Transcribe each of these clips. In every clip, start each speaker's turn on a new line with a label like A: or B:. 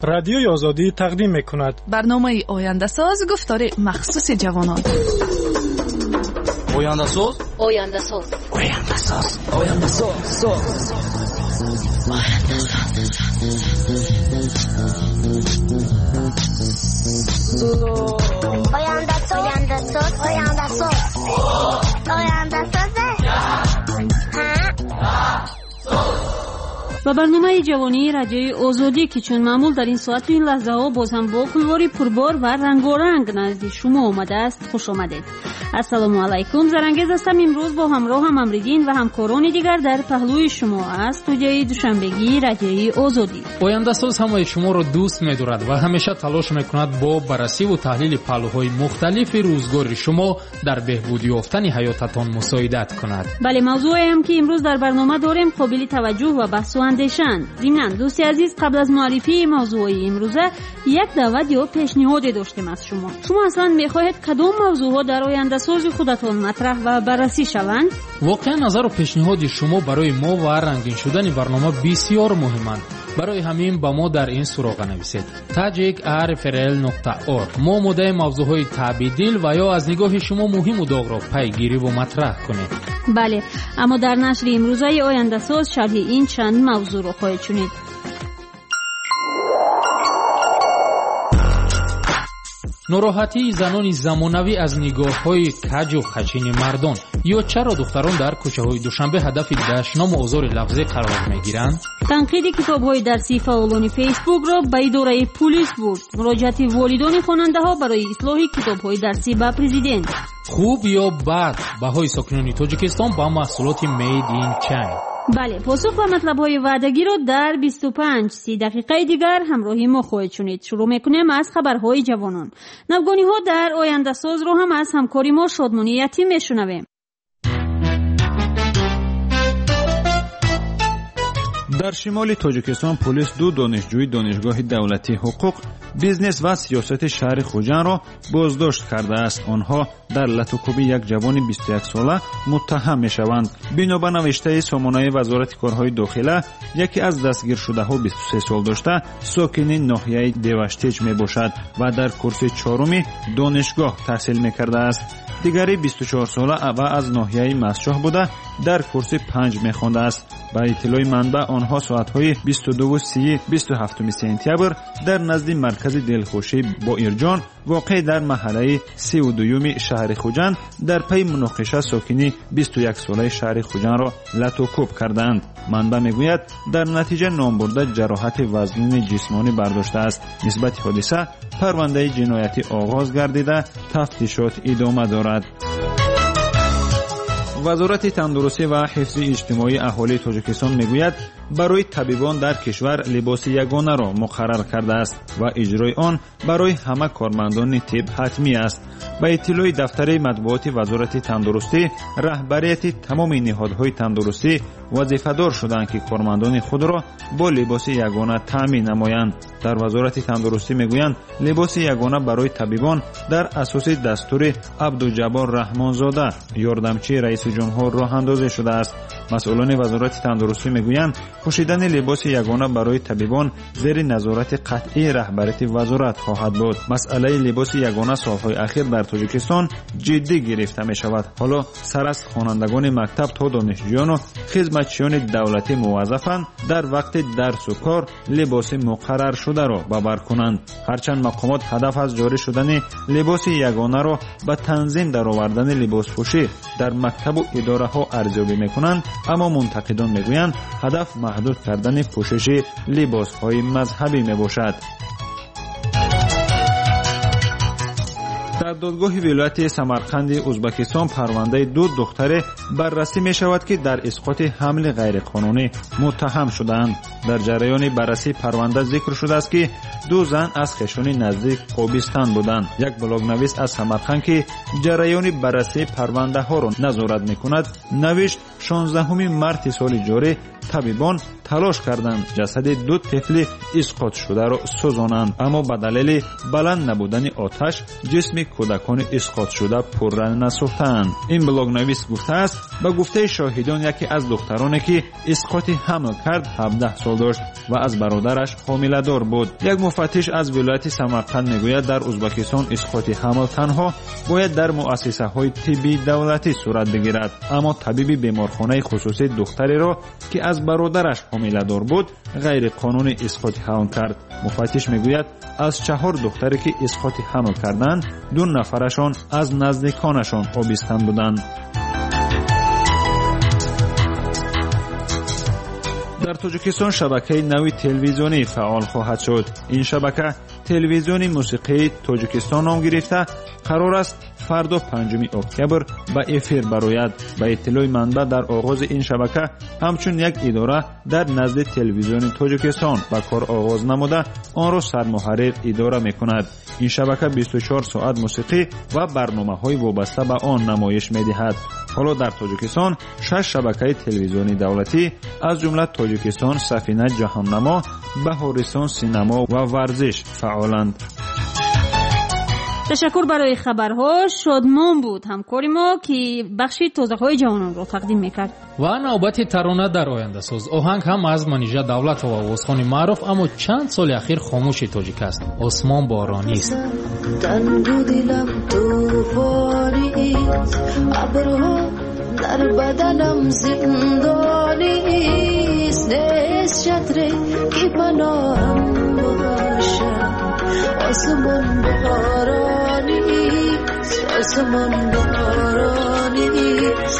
A: Радиои Озодӣ тақдим мекунад.
B: Барномаи Ояндасоз, гуфтори махсуси ҷавонон.
C: Ояндасоз,
D: Ояндасоз,
C: Ояндасоз, Ояндасоз, соз.
E: Ояндасоз, Ояндасоз, Ояндасоз, Ояндасоз.
F: Ба барномаи ҷавонии Радиои Озодӣ, ки чун маъмул дар ин соату ин лаҳзаҳо боз ҳам бо кулвори пурбор ва рангоранг назди шумо омадааст, хуш омадед. Ассалому алайкум, Зарангез ҳастам. Имрӯз бо ҳамроҳам Амриддин ва ҳамкорони дигар дар паҳлӯи шумо аз студияи душанбегии Радиои Озодӣ.
G: Ояндасоз ҳамаи шуморо дӯст медорад ва ҳамеша талош мекунад бо баррасиву таҳлили паҳлӯҳои мухталифи рӯзгори шумо дар беҳбуд ёфтани ҳаётатон мусоидат кунад.
F: Бале, мавзӯеам ки имрӯз дар барнома дорем қобили таваҷҷӯҳ ва баҳсу андешанд. Зимнан, дӯсти азиз, қабл аз муаррифии мавзӯъҳои имрӯза як даъват ё пешниҳоде доштем аз шумо. Шумо аслан мехоҳед кадом мавзӯъҳо дар ояндасози худатон матраҳ ва баррасӣ шаванд?
G: Воқеан назару пешниҳоди шумо барои мо ва рангин шудани барнома бисёр муҳиманд. Барои ҳамин ба мо дар ин суроға нависед: tajik@rfrl.org. Мо омодаи мавзӯъҳои таъбидил ва ё аз нигоҳи шумо муҳиму доғро пайгириву матраҳ кунем.
F: Бале, аммо дар нашри имрӯзаи Ояндасоз шарҳи ин чанд мавзӯъро хоҳед шунид.
G: Нороҳатии занони замонавӣ аз нигоҳҳои каҷу хачини мардон, ё чаро духтарон дар кӯчаҳои Душанбе ҳадафи дашному озори лафзӣ қарор мегиранд?
F: Танқиди китобҳои дарсии фаъолони Фейсбукро ба идораи пулис бурд. Муроҷиати волидони хонандаҳо барои ислоҳи китобҳои дарсӣ ба президент.
G: Хуб ё бад баҳои сокинони Тоҷикистон ба маҳсулоти Made in China.
F: Бале, посух ба матлабҳои ваъдагиро дар 25-30 дақиқаи дигар ҳамроҳи мо хоҳед шунид. Шурӯъ мекунем аз хабарҳои ҷавонон. Навгониҳо дар Ояндасозро ҳам аз ҳамкори мо Шодмонӣ Ятим мешунавем.
H: Дар шимоли Тоҷикистон полис ду донишҷӯи Донишгоҳи давлатии ҳуқуқ, бизнес ва сиёсати шаҳри Хуҷандро боздошт кардааст. Онҳо дар латукӯби як ҷавони 21-сола муттаҳам мешаванд. Бино ба навиштаи сомонаи Вазорати корҳои дохила, яке аз дастгиршудаҳо 23 сол дошта, сокини ноҳияи Деваштеҷ мебошад ва дар курси чоруми донишгоҳ таҳсил мекардааст. Дигари 24-сола ва аз ноҳияи Мастчоҳ буда, дар курси 5 мехондааст. Ба иттилои манбаъ, онҳо соатҳои 22:30 27 сентябр дар назди маркази дилхушӣ Боирҷон, воқеъ дар маҳаллаи 32-юми шаҳри Хуҷанд, дар пайи муноқиша сокини 21-солаи шаҳри Хуҷандро латукӯб кардаанд. Манбаъ мегӯяд, дар натиҷа номбурда ҷароҳати вазнини ҷисмонӣ бардоштааст. Нисбати ҳодиса парвандаи ҷиноятӣ оғоз гардида, тафтишот идома дорад. Вазорати тандурустӣ ва ҳифзи иҷтимоии аҳолии Тоҷикистон мегӯяд, барои табибон дар кишвар либоси ягонаро муқаррар кардааст ва иҷрои он барои ҳама кормандони тиб ҳатмӣ аст. Ба иттилои дафтари матбуоти Вазорати тандурустӣ, раҳбарияти тамоми ниҳодҳои тандурустӣ вазифадор шуданд, ки кормандони худро бо либоси ягона таъмин намоянд. Дар Вазорати тандурустӣ мегӯянд, либоси ягона барои табибон дар асоси дастури Абдуҷаббор Раҳмонзода, ёрдамчии раиси ҷумҳур, роҳандозӣ шудааст. Масъулони Вазорати тандурустӣ мегӯянд, пӯшидани либоси ягона барои табибон зери назорати қатъии раҳбарияти вазорат хоҳад буд. Масъалаи либоси ягона солҳои ахир дар Тоҷикистон ҷиддӣ гирифта мешавад. Ҳоло сар аз хонандагони мактаб то донишҷӯёну хизматчиёни давлатӣ муваззафанд дар вақти дарсу кор либоси муқарраршударо ба бар кунанд. Ҳарчанд мақомот ҳадаф аз ҷорӣ шудани либоси ягонаро ба танзим даровардани либоспӯшӣ дар мактабу идораҳо арзёбӣ мекунанд, аммо мунтақидон мегӯянд, ҳадаф маҳдуд кардани пӯшиши либосҳои мазҳабӣ мебошад. Дар додгоҳи вилояти Самарқанди Узбекистон парвандаи ду духтаре баррасӣ мешавад, ки дар исқоти ҳамли ғайриқонунӣ муттаҳам шудаанд. Дар ҷараёни баррасии парванда зикр шудааст, ки ду зан аз хешони наздик Қобистан буданд. Як блогнавис аз Самарқанд, ки ҷараёни баррасии парвандаҳоро назорат мекунад, навишт: 16 марти соли ҷорӣ Табибон талош карданд ҷасади ду тифли исқотшударо сӯзонанд, аммо ба далели баланд набудани оташ ҷисми кӯдакони исқотшуда пурра насӯхтаанд. Ин блогнавис гуфтааст, ба гуфтаи шоҳидон яке аз духтароне ки исқоти ҳамл кард 17 сол дошт ва аз бародараш ҳомиладор буд. Як муфаттиш аз вилояти Самарқанд мегӯяд, дар Узбакистон исқоти ҳамл танҳо бояд дар муассисаҳои тиббии давлатӣ сурат бигирад, аммо табиби беморхонаи хусусӣ духтареро ки аз бародараш ҳомиладор буд ғайриқонунӣ исқоти ҳамл кард. Муфаттиш мегӯяд, аз 4 духтаре ки исқоти ҳамл карданд, 2 нафарашон аз наздиконашон обистан буданд. Дар Тоҷикистон шабакаи нави телевизионӣ фаъол хоҳад шуд. Ин шабака телевизиони мусиқии Тоҷикистон ном гирифта, қарор аст фардо 5 октябр ба эфир барояд. Ба иттилои манбаъ, дар оғози ин шабака ҳамчун як идора дар назди телевизиони Тоҷикистон ба кор оғоз намуда, онро сармуҳаррир идора мекунад. Ин шабака 24 соат мусиқӣ ва барномаҳои вобаста ба он намоиш медиҳад. Ҳоло дар Тоҷикистон 6 шабакаи телевизиони давлатӣ, аз ҷумла Тоҷикистон, Сафина, Ҷаҳоннамо, Баҳористон, Синамо ва Варзиш фаъоланд.
F: Ташаккур барои хабарҳо. Шодмон буд ҳамкори мо, ки бахши тозаҳои ҷавононро тақдим мекард.
G: Ва навбати тарона дар ояндасоз. Оҳанг ҳам аз Манижа Давлатова, овозхони маъруф, аммо чанд соли ахир хомӯши тоҷик аст. Осмон боронист.
D: Тангу дилам тӯфонист, абрҳо дар баданам зиндонист, нест шатре ки паноҳам бошад. Осмон боронист, осмон боронист,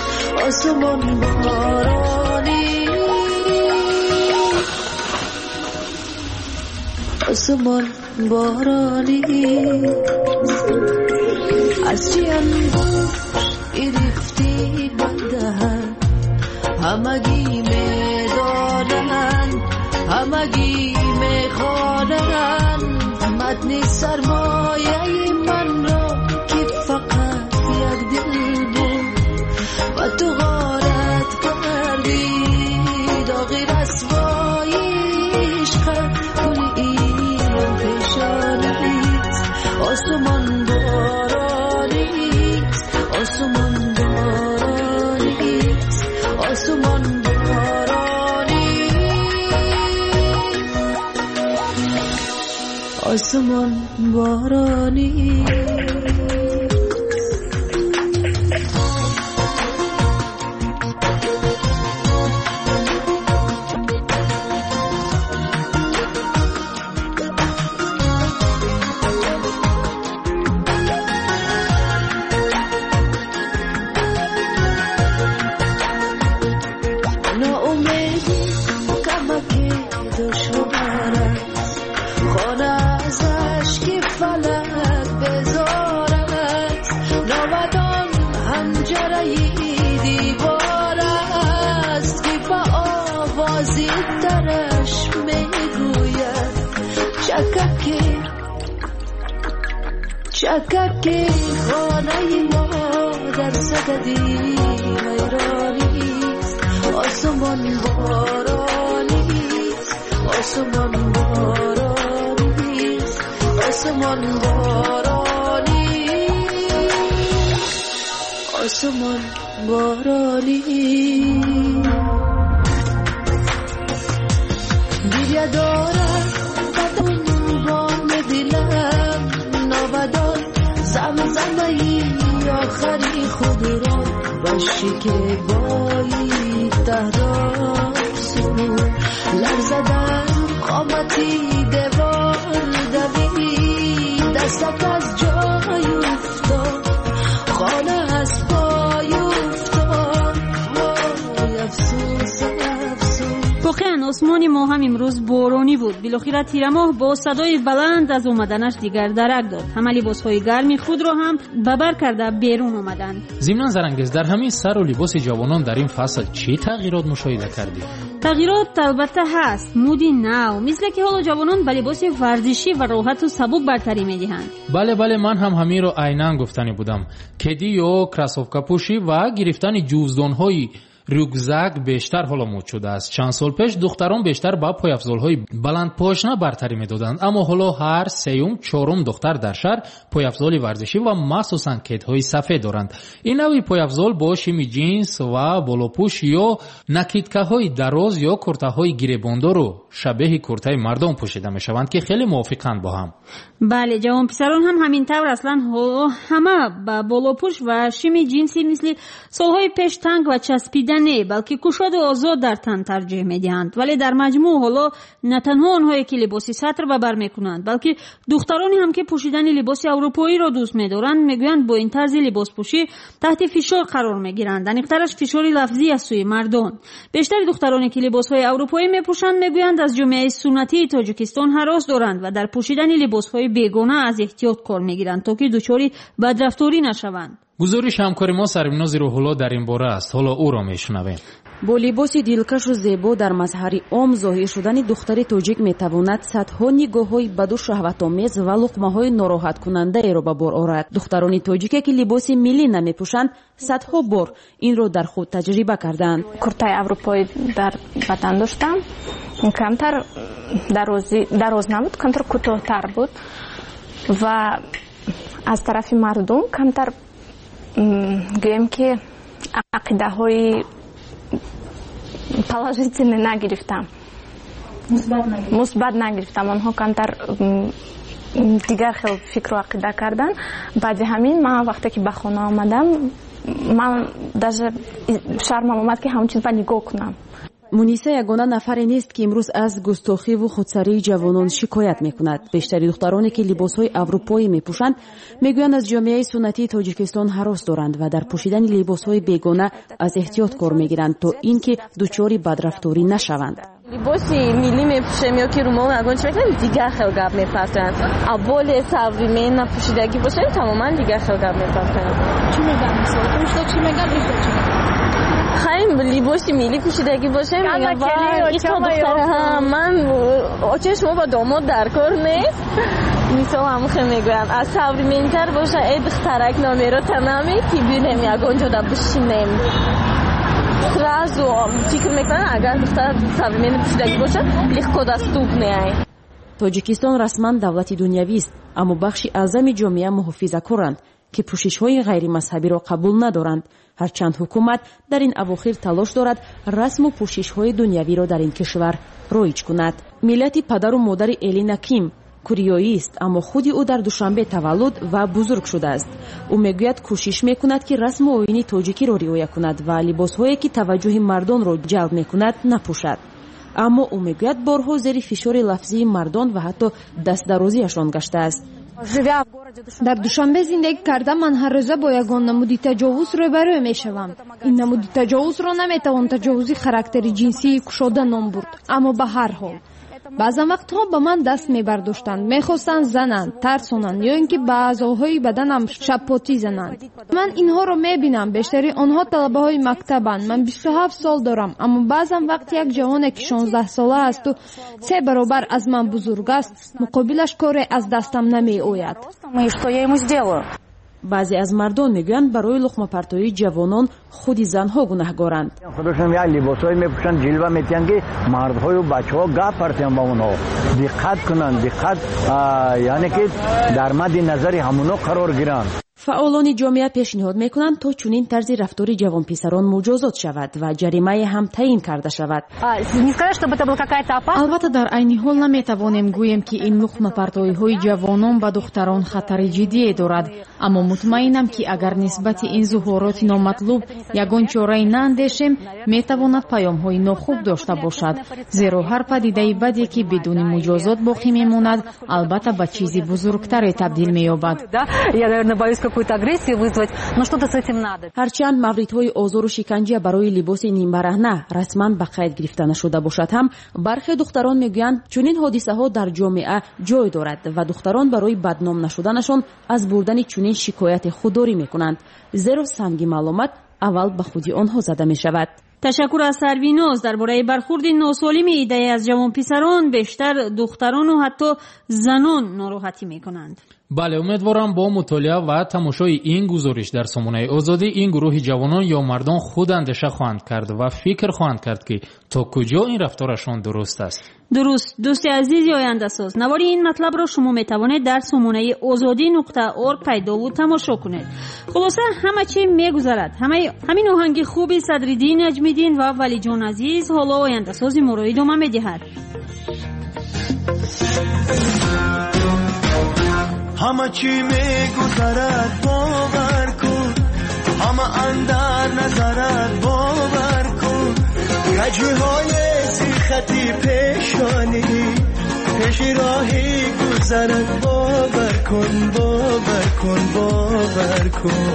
D: осмон боронист, осмон боронист. Аз чӣ ангушт гирифтӣ ба даҳан, ҳамагӣ медонанд, ҳамагӣ мехонанд матни сармояи манро, ки фақат як дил буд ва ту ғорат кардӣ доғи расвои ишқат. Гули ин пешонист, осмон боронист, осмон боронист, осмон боронист, осмон боронист. Ноумедӣ камаки душвор аст, хона аз ашки фалак безор аст, навадон ҳанҷараи девор аст, ки ба овози тараш мегӯяд чакаки чакаки хонаи мо дар садади вайронист, осмон боронист, осмон боронист, осмон боронист, осмон боронист. Гиря дорад бадан боми дилам, навадон замзамаи охари худро ба шикебои таҳдод суруд. Ларза дар қомати девор давид, дастак аз ҷой уфтод, хона аз пой уфтод. Вой афсӯс, афсӯс.
F: Воқеан осмони мо ҳам имрӯз боронӣ буд. Билохира тирамоҳ бо садои баланд аз омаданаш дигар дарак дод. Ҳама либосҳои гарми худро ҳам ба бар карда берун омаданд.
G: Зимнан Зарангез, дар ҳамин сару либоси ҷавонон дар ин фасл чӣ тағйирот мушоҳида кардӣ?
F: Тағйирот албатта ҳаст. Муди нав, мисле ки ҳоло ҷавонон ба либоси варзишӣ ва роҳату сабук бартарӣ медиҳанд.
G: Бале, бале, ман ҳам ҳаминро айнан гуфтанӣ будам. Кеди ё кроссовкапӯшӣ ва гирифтани ҷуздонҳои Рюкзак бештар ҳоло муд шудааст. Чанд сол пеш духтарон бештар ба пойафзолҳои баландпошна бартарӣ медоданд, аммо ҳоло ҳар сеюм чорум духтар дар шаҳр пойафзоли варзишӣ ва махсусан кедҳои сафед доранд. Ин навъи пойафзол бо шими ҷинс ва болопӯш ё накидкаҳои дароз ё куртаҳои гиребондору шабеҳи куртаи мардон пӯшида мешаванд, ки хеле мувофиқанд бо ҳам.
F: Бале, ҷавонписарон ҳам ҳамин тавр. Аслан ҳоло ҳама ба болопӯш ва шими ҷинси мисли солҳои пеш танг ва часпида не, балки кушоду озод дар тан тарҷеҳ медиҳанд. Вале дар маҷмӯъ ҳоло на танҳо онҳое ки либоси сатр ба бар мекунанд, балки духтароне ҳам ки пӯшидани либоси аврупоиро дӯст медоранд, мегӯянд бо ин тарзи либоспӯшӣ таҳти фишор қарор мегиранд. Аниқтараш фишори лафзӣ аз сӯи мардон. Бештари духтароне ки либосҳои аврупоӣ мепӯшанд, мегӯянд аз ҷомеаи суннатии Тоҷикистон ҳарос доранд ва дар пӯшидани либосҳои бегона аз эҳтиёт кор мегиранд, то ки дучори бадрафторӣ нашаванд.
G: Гузориши ҳамкори мо Сарвинози Рӯҳулло дар ин бора аст. Ҳоло ӯро мешунавем.
I: Бо либоси дилкашу зебо дар мазҳари ом зоҳир шудани духтари тоҷик метавонад садҳо нигоҳҳои баду шаҳватомез ва луқмаҳои нороҳаткунандаеро ба бор орад. Духтарони тоҷике ки либоси миллӣ намепӯшанд, садҳо бор инро дар худ таҷриба карданд.
J: Куртаи аврупоӣ дар бадан доштам, камтар дароз набуд, камтар кӯтоҳтар буд ва аз тарафи мардум камтар гӯем ки ақидаҳои положительный нагирифтам, мусбат нагирифтам. Онҳо камтар дигар хел фикру ақида карданд. Баъди ҳамин ман вақте ки ба хона омадам, ман даже шармам омад ки ҳамон чиз ба нигоҳ кунам.
I: Муниса ягона нафаре нест, ки имрӯз аз густохиву худсарии ҷавонон шикоят мекунад. Бештари духтароне ки либосҳои аврупоӣ мепӯшанд, мегӯянд аз ҷомеаи суннатии Тоҷикистон ҳарос доранд ва дар пӯшидани либосҳои бегона аз эҳтиёт кор мегиранд, то ин ки дучори бадрафторӣ нашаванд.
K: Либоси миллӣ мепӯшем ё ки румол ягон чи мекунем, дигар хел гап мепартоянд. А более современно пӯшидагӣ бошем, тамоман дигар хел гап мепартоянд.
B: Чӣ мегӯянд мисол? Чӣ мегӯянд?
K: Хайм либоси миллӣ пӯшидагӣ бошем, ман очаи шумо ба домод дар кор нест. Мисол ҳамхел мегӯянд. Аз современтар боша, э духтарак номерота намети, бинем ягон ҷода бишинем. Сразу фикр мекунанд, агар духтар современно пӯшидагӣ бошад, легко доступный.
I: Тоҷикистон расман давлати дунявист, аммо бахши аъзами ҷомеа муҳофизакоранд, ки пӯшишҳои ғайримазҳабиро қабул надоранд. Ҳарчанд ҳукумат дар ин авохир талош дорад расму пӯшишҳои дунявиро дар ин кишвар роиҷ кунад. Миллати падару модари Элина Ким куриёист, аммо худи ӯ дар Душанбе таваллуд ва бузург шудааст. Ӯ мегӯяд, кӯшиш мекунад, ки расму оини тоҷикиро риоя кунад ва либосҳое ки таваҷҷӯҳи мардонро ҷалб мекунад, напӯшад. Аммо ӯ мегӯяд, борҳо зери фишори лафзии мардон ва ҳатто дастдарозиашон гаштааст.
L: Дар Душанбе зиндагӣ карда, ман ҳар рӯза бо ягон намуди таҷовуз рӯбарӯ мешавам. Ин намуди таҷовузро наметавон таҷовузи характери ҷинсии кушода ном бурд, аммо ба ҳар ҳол баъзан вақтҳо ба ман даст мебардоштанд, мехостанд зананд, тарсонанд ё ин ки ба аъзоҳои баданам шаппотӣ зананд. Ман инҳоро мебинам, бештари онҳо талабаҳои мактабанд. Ман 27 сол дорам, аммо баъзан вақт як ҷавоне ки 16 сола асту 3 баробар аз ман бузург аст, муқобилаш коре аз дастам намеояд.
I: Баъзе аз мардон мегӯянд, барои луқмапартоии ҷавонон худи занҳо гунаҳгоранд.
M: Худошон як либосҳое мепӯшанд, ҷилва метиҳанд, ки мардҳою бачаҳо гап партиҳанд ба онҳо, диққат кунанд, диққат, яъне ки дар мадди назари ҳамоно қарор гиранд.
I: Фаъолони ҷомеа пешниҳод мекунанд, то чунин тарзи рафтори ҷавонписарон муҷозот шавад ва ҷаримае ҳам таъин карда шавад.
N: Албатта, дар айни ҳол наметавонем гӯем, ки ин луқмапартоиҳои ҷавонон ба духтарон хатари ҷиддие дорад, аммо мутмаинам, ки агар нисбати ин зуҳуроти номатлуб ягон чораи наандешем, метавонад паёмҳои нохуб дошта бошад, зеро ҳар падидаи баде, ки бидуни муҷозот боқӣ мемонад, албатта ба чизи бузургтаре табдил меёбад.
I: Ҳарчанд мавридҳои озору шиканҷа барои либоси нимбараҳна расман ба қайд гирифта нашуда бошад ҳам, бархе духтарон мегӯянд, чунин ҳодисаҳо дар ҷомеа ҷой дорад ва духтарон барои бадном нашуданашон аз бурдани чунин шикояте худдорӣ мекунанд, зеро санги маълумат аввал ба худи онҳо зада мешавад.
F: Ташаккур аз Сарвиноз. Дар бораи бархурди носолими идае аз ҷавонписарон бештар духтарону ҳатто занон нороҳатӣ мекунанд.
G: Бале, умедворам бо мутолиа ва тамошои ин гузориш дар сомонаи Озодӣ ин гурӯҳи ҷавонон ё мардон худ андеша хоҳанд кард ва фикр хоҳанд кард, ки то куҷо ин рафторашон дуруст аст.
F: Дуруст, дӯсти азизи ояндасоз, навори ин матлабро шумо метавонед дар сомонаи озодӣ.орг пайдову тамошо кунед. Хулоса, ҳама чӣ мегузарад. Ҳамин оҳанги хуби Садриддин Наҷмиддин ва Валиҷон Азиз ҳоло ояндасози моро идома медиҳад.
O: Ҳама чӣ мегузарад, бовар кун, ҳама андар назарат, бовар кун. Каҷиҳои зирхати пешонӣ пеши роҳи гузарат, бовар кун, бовар кун, бовар кун,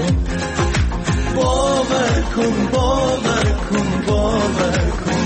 O: бовар кун, бовар кун, бовар кун.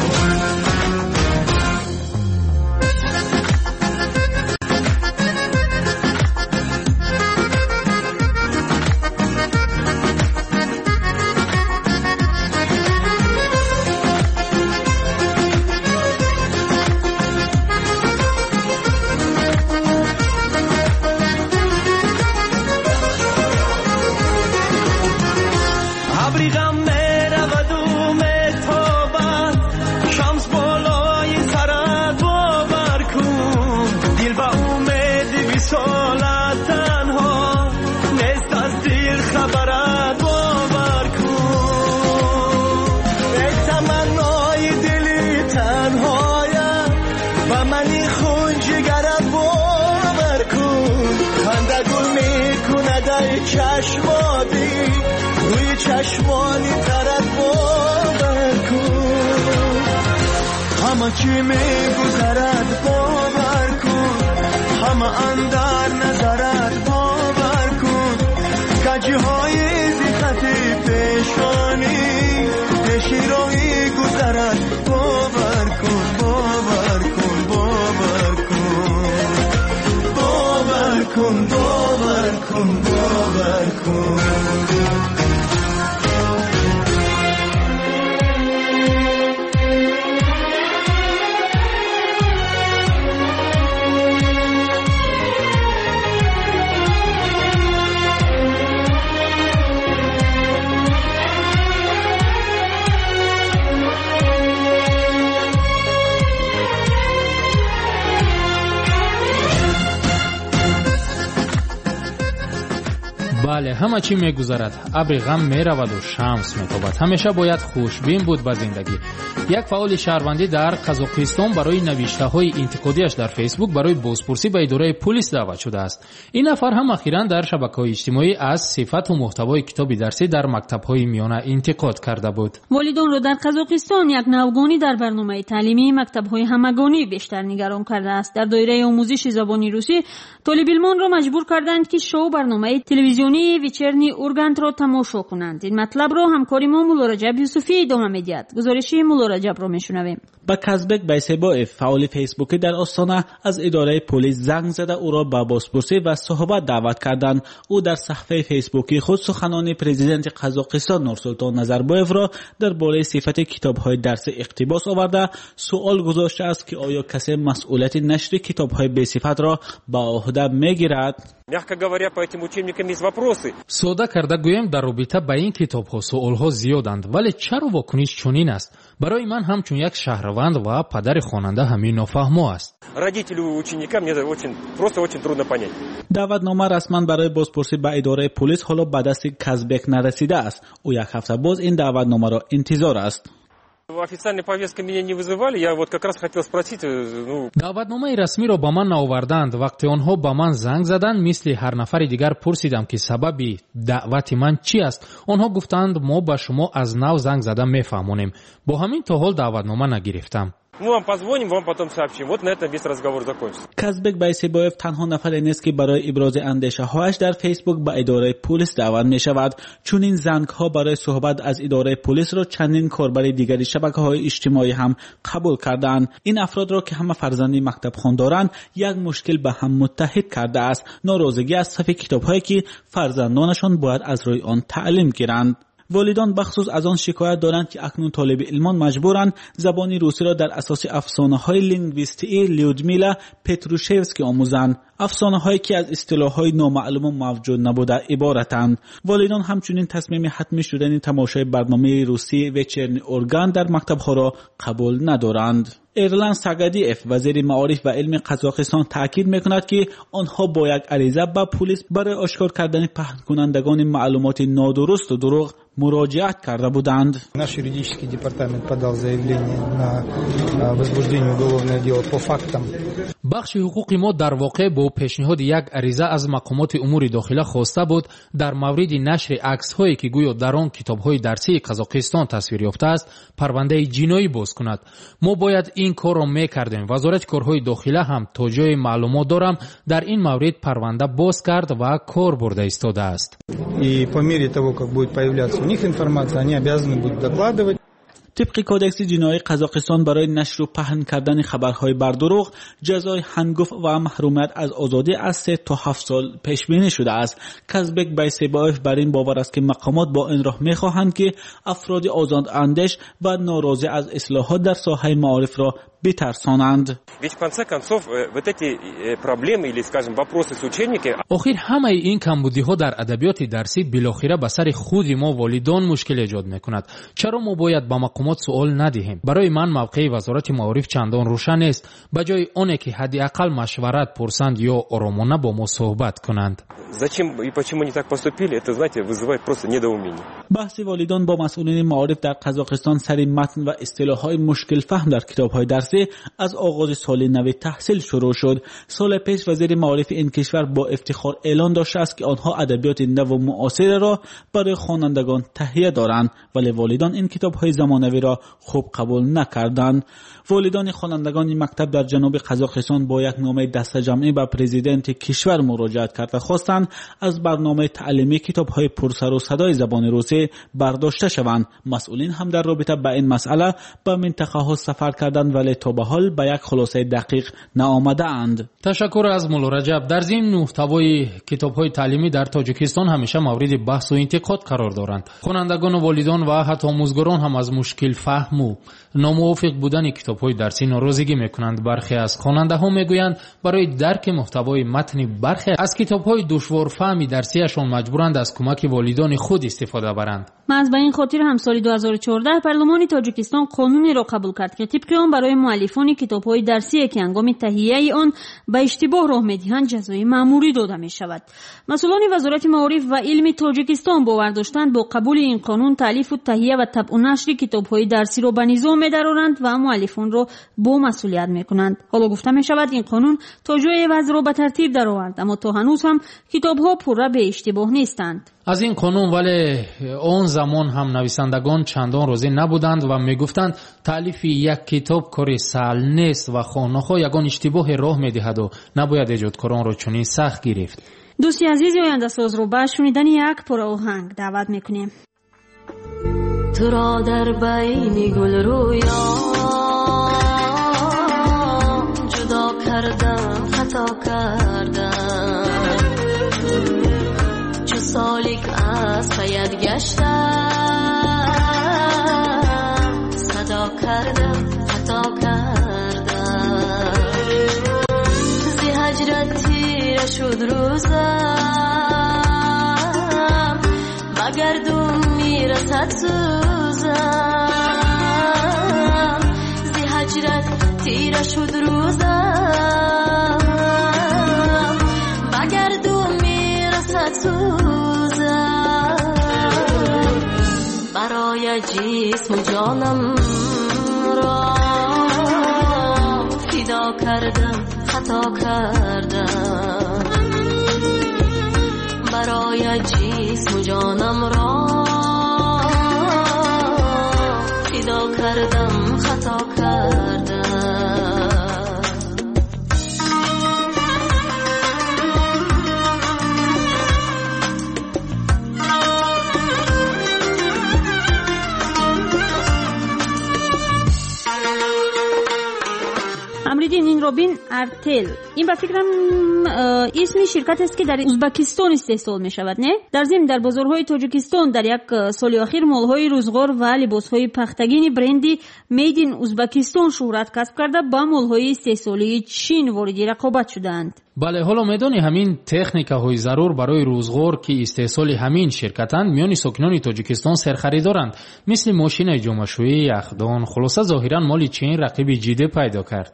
O: چشمانی روی چشمانی ترت باور کن. همه چی میگذرد باور کن، همه اندر نظرت باور کن. کجی های زیخت پیشانی پیشی راهی گذرد، باور کن، باور کن، باور کن، باور کن، باور کن، باور کن.
G: Бале, ҳама чӣ мегузарад, абри ғам мераваду шамс метобад. Ҳамеша бояд хушбин буд ба зиндагӣ. Як фаъоли шаҳрвандӣ дар Қазоқистон барои навиштаҳои интиқодиаш дар Фейсбук барои бозпурсӣ ба идораи пулис даъват шудааст. Ин нафар ҳам ахиран дар шабакаҳои иҷтимоӣ аз сифату муҳтавои китоби дарсӣ дар мактабҳои миёна интиқод карда буд.
F: Волидонро дар Қазоқистон як навгонӣ дар барномаи таълимии мактабҳои ҳамагонӣ бештар нигарон кардааст. Дар доираи омӯзиши забони русӣ толибилмонро маҷбур карданд, ки шоу барномаи телевизионии Вечерний Ургантро тамошо кунанд. Ин матлабро ҳамкори мо Муллораҷаб Юсуфӣ идома медиҳад. Гузориши Муллораҷабро мешунавем.
P: Ба Казбек Байсебоев, фаъоли фейсбукӣ дар Остона, аз идораи полис занг зада ӯро ба бозпурсӣ ва суҳбат даъват карданд. Ӯ дар саҳифаи фейсбукии худ суханони президенти Қазоқистон Нурсултон Назарбоевро дар бораи сифати китобҳои дарсӣ иқтибос оварда суол гузоштааст, ки оё касе масъулияти нашри китобҳои бесифатро ба ӯҳда мегирад.
Q: Мягко говоря, по этим учебникам есть вопросы.
G: Сода карда гӯем, дар робита ба ин китобҳо суолҳо зиёданд, вале чаро вокуниш чунин аст? Барои ман ҳамчун як шаҳрванд ва падари хонанда ҳамин нофаҳмо аст.
Q: Родителю ученика мне очень просто очень трудно понять.
P: Даъватнома расман барои бозпурсӣ ба идораи полис ҳоло ба дасти Казбек нарасидааст. Ӯ як ҳафта боз ин даъватномаро интизор аст.
Q: Официальной повесткой меня не вызывали, я вот как раз хотел спросить... Ну...
G: Даъватномаи расмиро ба ман наоварданд. Вақте онҳо ба ман занг заданд, мисли ҳар нафари дигар пурсидам, ки сабаби даъвати ман чӣ аст. Онҳо гуфтанд, мо ба шумо аз нав занг зада мефаҳмонем. Бо ҳамин то ҳол даъватнома нагирифтам.
Q: Мы вам позвоним, вам потом сообщим. Вот на этом весь разговор закончится.
P: Казбек Байсебоев танҳо нафаре нест, ки барои ибрози андешаҳояш дар Фейсбук ба идораи полис даъват мешавад. Чунин зангҳо барои суҳбат аз идораи полисро чандин корбари дигари шабакаҳои иҷтимоӣ ҳам қабул кардаанд. Ин афродро, ки ҳама фарзанди мактабхон доранд, як мушкил ба ҳам муттаҳид кардааст: норозигӣ аз сафи китобҳое, ки фарзандонашон бояд аз рӯи он таълим гиранд. Волидон бахусус аз он шикоят доранд, ки акнун толиби илмон маҷбуранд забони русиро дар асоси афсонаҳои лингвистии Людмила Петрушевский омӯзанд, афсонаҳое ки аз истилоҳҳои номаълуму мавҷуд набуда иборатанд. Волидон ҳамчунин тасмими ҳатмӣ шудани тамошои барномаи русии Вечерний Ургант дар мактабҳоро қабул надоранд. Эрлан Сагадиев, вазири маориф ва илми Қазоқистон, таъкид мекунад, ки онҳо бо як ариза ба пулис барои ошкор кардани паҳнкунандагони маълумоти нодурусту дурӯғ муроҷиат карда буданд.
R: Наш юридический департамент подал заявление на возбуждение уголовного дела по фактам.
G: Бахши ҳуқуқи мо дар воқеъ бо пешниҳоди як ариза аз мақомоти умури дохила хоста буд дар мавриди нашри аксҳое, ки гӯё дар он китобҳои дарсии Қазоқистон тасвир ёфтааст, парвандаи ҷиноӣ боз кунад. Мо бояд ин корро мекардем. Вазорати корҳои дохила ҳам, то ҷое маълумот дорам, дар ин маврид парванда боз кард ва кор бурда истодааст.
R: И по мере того, как будет появляться у них информация, они обязаны будут докладывать.
P: Тибқи кодекси ҷиноии Қазоқистон, барои нашру паҳн кардани хабарҳои бардурӯғ ҷазои ҳангуфт ва маҳрумият аз озодӣ аз 3 то 7 сол пешбинӣ шудааст. Казбек Байсебоев бар ин бовар аст, ки мақомот бо ин роҳ мехоҳанд, ки афроди озодандеш ва норозӣ аз ислоҳот дар соҳаи маорифро битарсонанд.
Q: Ведь в конце концов вот эти проблемы или, скажем, вопросы с учебниками.
G: Охир ҳамаи ин камбудиҳо дар адабиёти дарсӣ билохира ба сари худи мо, волидон, мушкил эҷод мекунад. Чаро мо бояд ба мақомот суол надиҳем? Барои ман мавқеи вазорати маориф чандон рӯшан нест. Ба ҷои оне ки ҳадди ақал машварат пурсанд ё оромона бо мо суҳбат кунанд.
Q: Зачем и почему они так поступили, это, знаете, вызывает просто недоумение.
P: Баҳси волидон бо масъулини маориф дар Қазоқистон сари матн ва истилоҳҳои мушкилфаҳм дар китобҳои дарсӣ аз оғози соли нави таҳсил шурӯъ шуд. Соли пеш вазири маорифи ин кишвар бо ифтихор эълон доштааст, ки онҳо адабиёти наву муосиреро барои хонандагон таҳия доранд, вале волидон ин китобҳои замонавиро хуб қабул накарданд. Волидони хонандагони мактаб дар ҷануби Қазоқистон бо як номаи дастаҷамъӣ ба президенти кишвар муроҷиат карда, хостанд аз барномаи таълимӣ китобҳои пурсару садои забони русӣ бардошта шаванд. Масъулин ҳам дар робита ба ин масъала ба минтақаҳо сафар карданд, вале то ба ҳол ба як хулосаи дақиқ наомадаанд.
G: Ташаккур аз Муллораҷаб. Дар зимн, муҳтавои китобҳои таълимӣ дар Тоҷикистон ҳамеша мавриди баҳсу интиқод қарор доранд. Хонандагону волидон ва ҳатто омӯзгорон ҳам аз мушкилфаҳму номувофиқ будани китобҳои дарсӣ норозигӣ мекунанд. Бархе аз хонандаҳо мегӯянд, барои дарки муҳтавои матни бархе аз китобҳои душворфаҳми дарсияшон маҷбуранд аз кӯмаки волидони худ истифода баранд.
F: Маҳз ба ин хотир ҳам соли 2014 парлумони Тоҷикистон қонунеро қабул кард, ки тибқи он барои муаллифони китобҳои дарсие, ки ҳангоми таҳияи он ба иштибоҳ роҳ медиҳанд, ҷазои маъмурӣ дода мешавад. Масъулони Вазорати маориф ва илми Тоҷикистон бовар доштанд, бо қабули ин қонун таълифу таҳия ва табъу нашри китобҳои дарсиро ба низом медароранд ва муаллифонро бо масъулият мекунанд. Ҳоло гуфта мешавад, ин қонун то ҷое вазъро ба тартиб даровард, аммо то ҳанӯз ҳам китобҳо пурра беиштибоҳ нестанд.
G: Аз ин қонун вале он замон ҳам нависандагон чандон розӣ набуданд ва мегуфтанд, таълифи як китоб кори саҳл нест ва хоҳ-нохоҳ ягон иштибоҳе роҳ медиҳаду набояд эҷодкоронро чунин сахт гирифт.
F: Дӯсти азизи Ояндасозро ба шунидани як пора оҳанг даъват мекунем.
D: Туро дар байни гулрӯён ҷудо кардам, хато кардам. Чу солик аз паят гаштам, садо кардам, хато кардам. Зи ҳаҷрат тира шуд рӯзам, ба гардун мирасад сӯзам. Зи ҳаҷрат тира шуд рӯзам, ба гардун мирасад сӯзам. Барои ҷисму ҷонам ро фидо кардам, хато кардам. Барои ҷисму ҷонам ро фидо кардам, хато кардам.
F: Амриддин, инро Чинро бин Артел. Ин ба фикрам исми ширкатест, ки дар Узбакистон истеҳсол мешавад, не? Дар зимн, дар бозорҳои Тоҷикистон дар як соли охир молҳои рӯзғор ва либосҳои пахтагини бренди Made in Узбакистон шӯҳрат касб карда, ба молҳои истеҳсолии Чин вориди рақобат шудаанд.
G: Бале, ҳоло медонӣ, ҳамин техникаҳои зарур барои рӯзғор, ки истеҳсоли ҳамин ширкатанд, миёни сокинони Тоҷикистон серхаридоранд, мисли мошинаи ҷомашӯӣ, яхдон. Хулоса, зоҳиран моли Чин рақиби ҷиддӣ пайдо кард.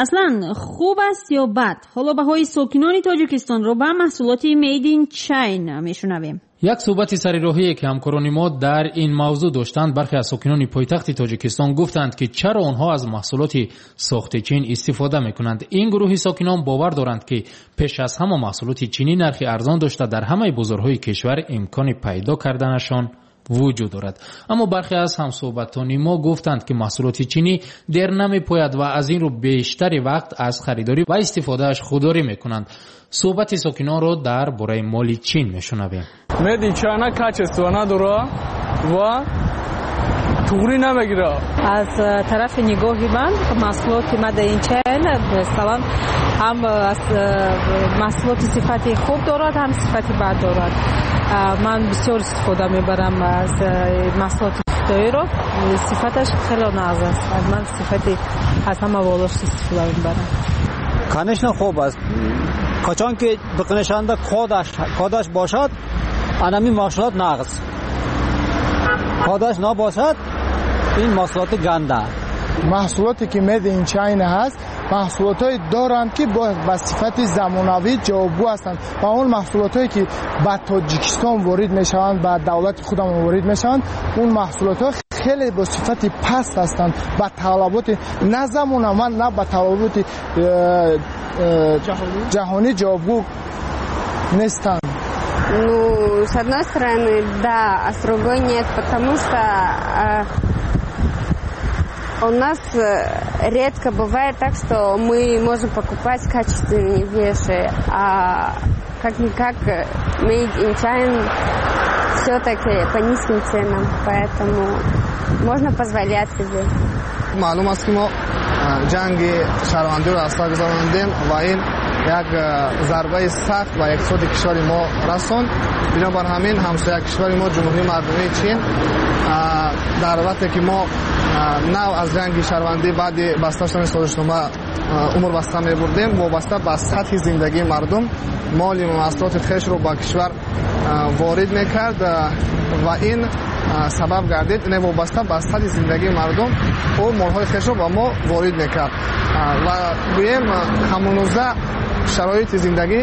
F: Аслан хуб аст ё бад? Ҳоло баҳои сокинони Тоҷикистонро ба маҳсулоти Made in China мешунавем.
G: Як суҳбати сарироҳие, ки ҳамкорони мо дар ин мавзӯъ доштанд, бархе аз сокинони пойтахти Тоҷикистон гуфтанд, ки чаро онҳо аз маҳсулоти сохти Чин истифода мекунанд. Ин гурӯҳи сокинон бовар доранд, ки пеш аз ҳама маҳсулоти чинӣ нархи арзон дошта, дар ҳамаи бозорҳои кишвар имкони пайдо карданашон вуҷуд дорад. Аммо бархе аз ҳамсӯҳбатони мо гуфтанд, ки маҳсулоти чинӣ дер намепояд ва аз ин рӯ бештари вақт аз харидорӣ ва истифодааш худдорӣ мекунанд. Суҳбати сокинонро дар бораи моли Чин мешунавем.
S: Made in China качество надора ва туғрӣ намегирад.
T: Аз тарафи нигоҳи ман, маҳсулоти Made in China, масалан, ҳам маҳсулоти сифати хуб дорад, ҳам сифати бад дорад. Ман бисёр истифода мебарам аз маҳсулоти хитоиро, сифаташ хеле нағз аст. Ман сифати аз ҳама болош истифода мебарам.
U: Конечно, хуб аст, қачон ки бикунашанда кодаш бошад, анами маҳсулот нағз, кодаш набошад, ин маҳсулоти ганда.
V: Маҳсулоте ки Made in China ҳаст, маҳсулотҳое доранд, ки ба сифати замонавӣ ҷавобгӯ ҳастанд, ва он маҳсулотҳое ки ба Тоҷикистон ворид мешаванд, ба давлати худамон ворид мешаванд, он маҳсулотҳо хеле бо сифати паст ҳастанд, ба талаботи на замонава, на ба талаботи ҷаҳонӣ ҷавобгӯ нестанд.
W: Ну, с одной стороны, да, а с другой нет, потому что у нас редко бывает так, что мы можем покупать качественные вещи, а как-никак Made in China все-таки по низким ценам, поэтому можно позволять себе.
X: Маълум аст, ки мо ҷанги шаҳрвандиро аз сар гузарондем ва ин як зарбаи сахт ба иқтисоди кишвари мо расонд. Бинобар ҳамин, ҳамсоя кишвари мо, Ҷумҳурии Мардумии Чин, дар вақте ки мо нав аз ҷанги шаҳрвандӣ баъди баста шудани созишнома умр баста мебурдем, вобаста ба сатҳи зиндагии мардум моли маҳсулоти хешро ба кишвар ворид мекард ва ин сабаб гардид, не, вобаста ба сатҳи зиндагии мардум ӯ молҳои хешро ба мо ворид мекард ва гӯем, ҳамонуза шароити зиндагӣ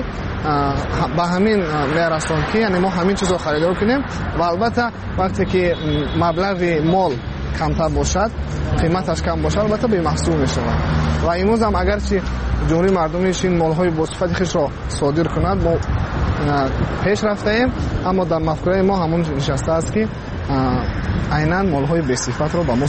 X: ба ҳамин мерасонд, ки яъне мо ҳамин чизро харидор кунем. Ва албатта, вақте ки маблағи мол камтар бошад, қиматаш кам бошад, албатта бемаҳсул мешавад. Ва имрӯз ҳам агарчи Ҷумҳурии Мардумии Чин молҳои босифати хешро содир кунад, мо пеш рафтаем, аммо дар мафкураи мо ҳамон нишастааст, ки айнан молҳои бесифатро ба мо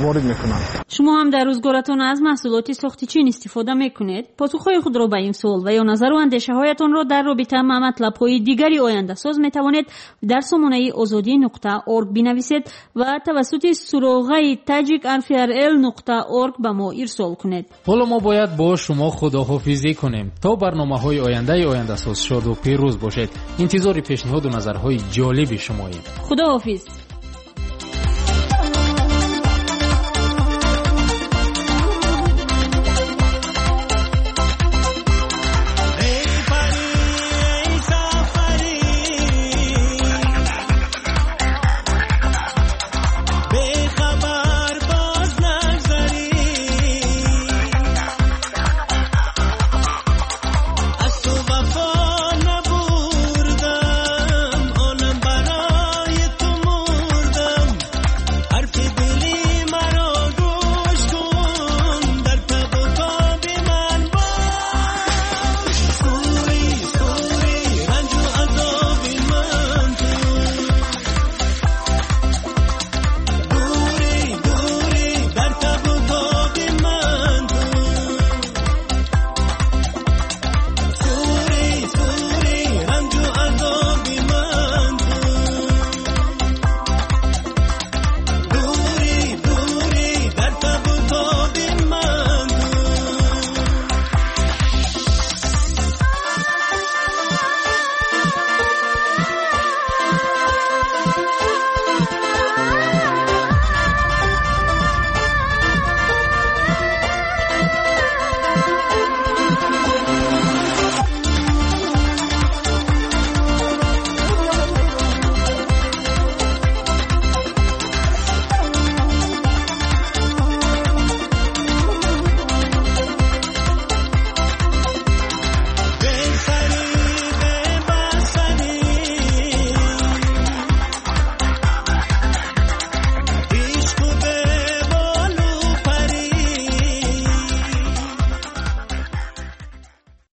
X: ворид мекунанд.
F: Шумо ҳам дар рӯзгоратон аз маҳсулоти сохти Чин истифода мекунед? Посухҳои худро ба ин суол ва ё назару андешаҳоятонро дар робита ба матлабҳои дигари ояндасоз метавонед дар сомонаи озодӣ.орг бинависед ва тавассути суроғаи tajik.rfrl.org ба мо ирсол кунед.
G: Ҳоло мо бояд бо шумо худоҳофизӣ кунем. То барномаҳои ояндаи ояндасоз шоду пирӯз бошед. Интизори пешниҳоду назарҳои ҷолиби шумоем.
F: Худоҳофиз.